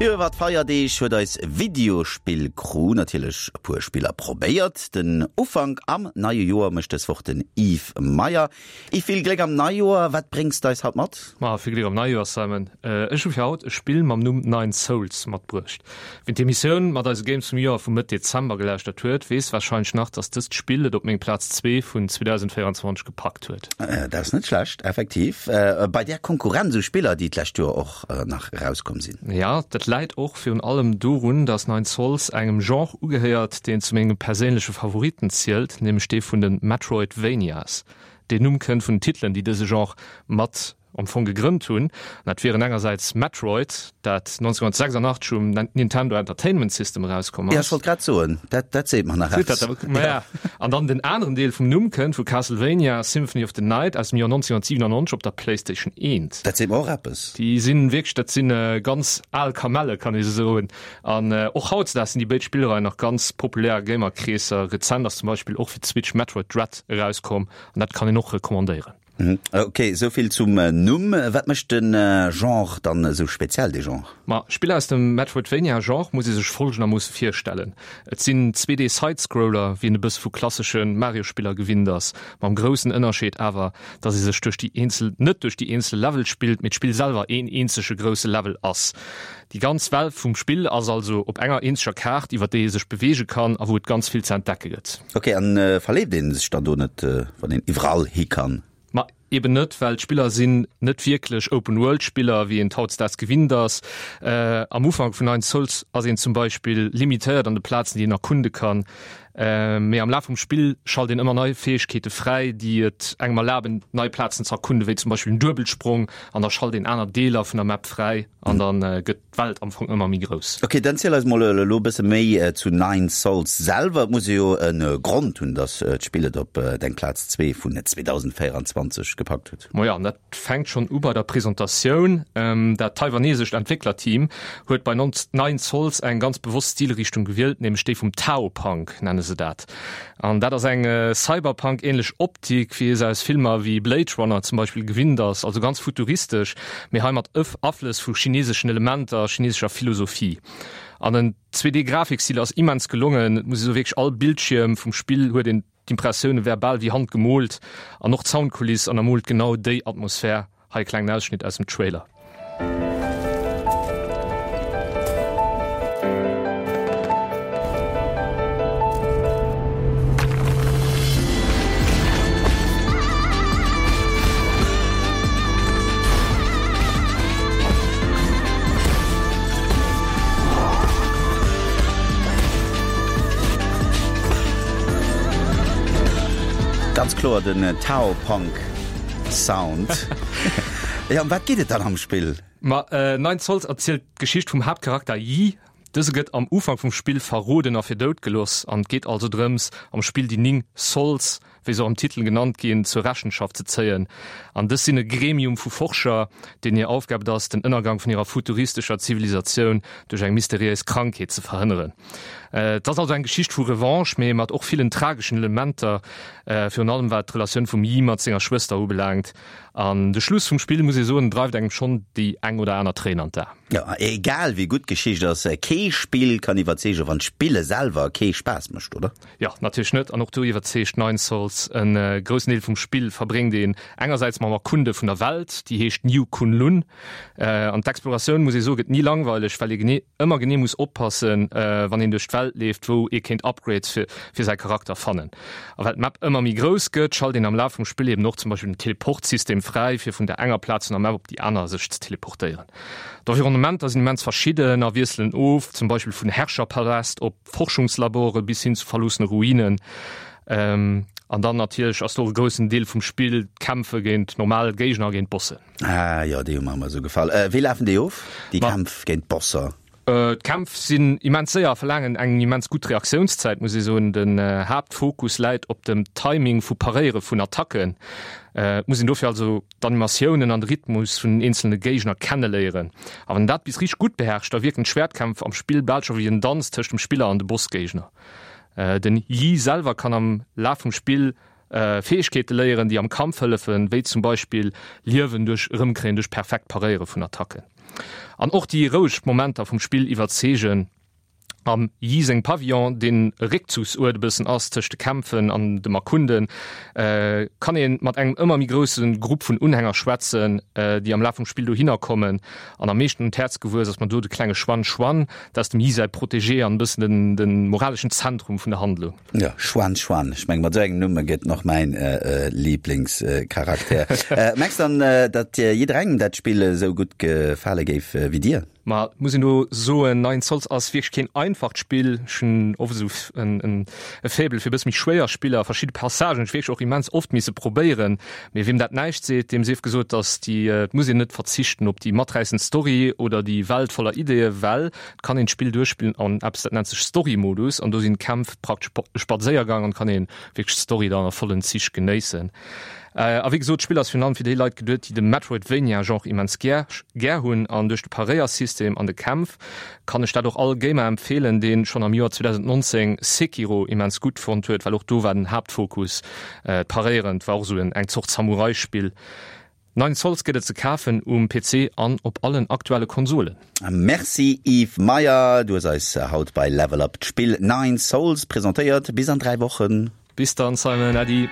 Iwwer d'Feierdeeg huet eis Videospill-Crew natierlech e puer Spiller probéiert. Den Ufank am neie Joer mécht dës Woch den Yves Meyer. Yves, vill Gléck am Neijoer! Wat bréngs de eis haut mat? Ma vill Gléck am Neijoer, Simon! Ech hu fir haut e Spill mam Numm Nine Sols matbruecht. Wien d'Emissioun mat eise Games vum Joer vu Mëtt Dezember gelauschtert huet, weess warscheinlech nach, dass dëst Spill et op meng Plaz 2 vun 2024 gepackt huet. Dat ass net schlecht, effektiv, bei där Konkurrenz u Spiller, déi d'lescht Joer och nach erauskomm sinn. Jo, dat läit och virun allem dorun, dass Nine Sols engem Genre ugehéiert, deen zu menge perséinleche Favoritten zielt, nämlech dee vun de Metroidvanias. Deen Numm kënnt vun den Titelen, déi dëse Genre mat am Fong gegrënnt hunn. Dat wieren engersäits Metroid, dat 1986 um Nintendo Entertainment System erauskomm ass. Ja, ech wollt grad soen, dat, dat seet mer nach eppes. Ja. An dann den aneren Deel vum Numm kënnt vu Castlevania Symphony of the Night aus dem Joer 1997 op der PlayStation 1. Dat seet mer och eppes. Déi sinn wierklech, dat sinn ganz al Kamelle, kann ee soen. An och hautzedaags sinn déi béid Spillreien nach ganz populär a Gamerkreesser. Rezent ass zum Beispill och fir d'Switch Metroid Dread erauskomm an dat kann een och recommandéieren. Ok, esou vill zum Numm. Wat mécht de Genre dann esou speziell, dee Genre? Ma Spiller aus dem Metroidvania-Genre muss ee sech folgendermoosse virstellen, Et sinn 2D-Sidescroller, wéi een e bësse vu klassesche Mario-Spiller gewinnt ass, mam groussen Ënnerscheed awer, dass ee sech duerch déi eenzel net duerch déi eenzel Level spillt, mee d'Spill selwer een eenzege grousse Level ass. Déi ganz Welt vum Spill ass also op enger eenzeger Kaart, iwwer déi ee sech beweege kann a wou et ganz vill ze entdecke gëtt. Ok, an verleeft een sech dann do net, wann een iwwerall hi kann? Ma eben net, well d'Spiller sinn net wierklech Open World Spiller, wéi een et hautdesdaags gewinnt ass. Am Ufank vun Nine Sols ass een zum Beispill limitéiert an de Plazen, déi een erkunde kann, mee am Laf vum Spill schalt een ëmmer nei Fäegkeete fräi, déi et engem erlaben, nei Plazen ze erkunden, wéi zum Beispill den Duebelsprong, an da schalt een aner Deeler vun der Map fräi an dann gëtt d'Welt am Fong ëmmer méi grouss. Ok, dann ziel eis mol elo e bësse méi zu Nine Sols selwer. Et muss jo e Grond hunn, dass d'Spill et op deng Plaz 2 vun 2024 gepackt huet. Majo, an dat fänkt schonn u bei der Presentatioun. Dat taiwanesescht Entwécklerteam huet bei Nine Sols eng ganz bewosst Stilrichtung gewielt, nämlech déi vum Tao-Punk, nenne se dat. An dat ass eng Cyberpunk-ähnlech Optik, wéi ee se aus Filmer wéi Blade Runner zum Beispill gewinnt ass, also ganz futuristesch, mee hei mat Aflëss vu chineseschen Elementer a chinesescher Philosophie. An den 2D-Grafikstil ass immens gelongen, et muss ee soe wierklech all Bildschierm vum Spill huet een d'Impressioun e wär bal wéi handgemoolt an och d'Soundkuliss ënnermoolt genau déi Atmosphär. Hei e klengen Ausschnitt aus dem Trailer. Ganz kloer den Tao Punk. Sound. Jo, ëm wat geet et dann am Spill? Ma Nine Sols erzielt d'Geschicht vum Haaptcharakter Yi. Dëse gëtt am Ufank vum Spill verroden a fir dout geloss an et geet also drëms, am Spill déi 9 Sols, wéi se och am Titel genannt ginn, zur Rechenschaft ze zéien. An dës sinn e Gremium vu Forscher, deenen hir Aufgab et ass, den Ënnergang vun hirer futuristescher Zivilisatioun duerch eng mysteriéis Krankheet ze verhënneren. Et ass also eng Geschicht vu Revanche, mee mat och villen trageschen Elementer. Virun allem wat d'Relatioun vum Yi mat senger Schwëster ubelaangt. An de Schluss vum Spill, muss ee soen, dreift engem schonn déi eng oder aner Tréin an d'A. Jo, egal wéi gutt d'Geschicht ass, kee Spill kann iwwerzeegen, wann d'Spille selwer kee Spaass mécht, oder? Jo, natierlech net. An och do iwwerzeegt Nine Sols. E groussen Deel vum Spill verbréngt een engersäits mam Erkunde vun der Welt, déi heescht New Kunlun. An d'Exploratioun, muss ee soen, gëtt ni langweileg, well ee genee ëmmer genee muss oppassen, wann een duerch d'Welt leeft, wou ee kéint Upgrades fir fir säi Charakter fannen. A well d'Map ëmmer méi grouss gëtt, schalt een am Laf vum Spill eben och zum Beispill den Teleport-System fräi, fir vun der enger Plaz vun der Map op déi aner sech ze teleportéieren. D'Environnementer sinn immens verschidden a wiesselen of, zum Beispill vun Herrscherpaläst op Forschungslabore bis hin zu verloossene Ruinen. An dann natierlech ass do och e groussen Deel vum Spill d'Kämpfe géint normal Géigner a géint Bossen. Ah jo, déi hu mer ëmmer esou gefall. Wéi lafen déi of, déi Kämpf géint d'Bosser? D'Kämpf sinn immens séier a verlaangen eng immens gutt Reaktiounszäit, muss ee soen. Den Haaptfokus läit op dem Timing vu Paréiere vun Attacken. Et muss een dofir also d'Animatiounen an de Rhythmus vun den eenzelne Géigner kenneléieren. A wann een dat bis richteg gutt beherrscht, da wierken d'Schwäertkämpf am Spill bal scho wéi en Danz tëscht dem Spiller an de Bossgéigner. Den Yi selwer kann am Laf vum Spill Fäegkeete léieren, déi am Kampf hëllefen, wéi zum Beispill Liewen duerch erëmkréien duerch perfekt Paréiere vun Attacken. An och déi roueg Momenter vum Spill iwwerzeegen. Am Yi seng Pavillon, deen e Réckzugsuert e bëssen ass tëscht de Kämpfen an dem Erkunden, kann ee mat engem ëmmer méi grousse Grupp vun Unhänger schwätzen, déi am Laf vum Spill dohinner kommen. An am meeschten un d'Häerz gewuess ass mer do de klenge Xuan Xuan, dat ass dem Yi säi Protégé an e bëssen de moraleschen Zentrum vun der Handlung. Jo, Xuan Xuan, ech meng mat esou engem Numm gëtt en och mäin Liblingscharakter. Mengs dann, datt jidderengem dat Spill esou gutt gefale géif wéi dir? Ma et muss een do soen, Nine Sols ass wierklech keen einfacht Spill. Ech hunn oft esou en e Faible fir e bësse méi schwéier Spiller. Verschidde Passagen hunn ech wierklech och immens oft misse probéieren. Mee wiem dat näischt seet, deem sief gesot, datt déi, et muss een net verzichten op déi maträissend Story oder déi Welt voller Ideeë, well Et kann een d'Spill duerchspillen an eppes dat nennt sech Story-Modus an do sinn d'Kämpf praktesch e Spadséiergang an kann een wierklech d'Story dann a vollen Zich genéissen. A wéi gesot, d'Spill ass virun allem fir déi Leit geduet, déi de Metroidvania-Genre immens gär gär hunn an duerch de Paréiersystem an de Kämpf kann ech dat och all Gamer empfeelen, deen schonn am Joer 2019 Sekiro immens gutt fonnt huet, well och do war den Haaptfokus d'Paréieren, et war och esou eng Zort Samurai-Spill. Nine Sols gëtt et ze kafen um PC an op allen aktuelle Konsolen. Merci Yves Meyer, du hues eis haut bei Level Up d'Spill Nine Sols presentéiert. Bis an 3 Wochen. Bis dann Simon, Äddi.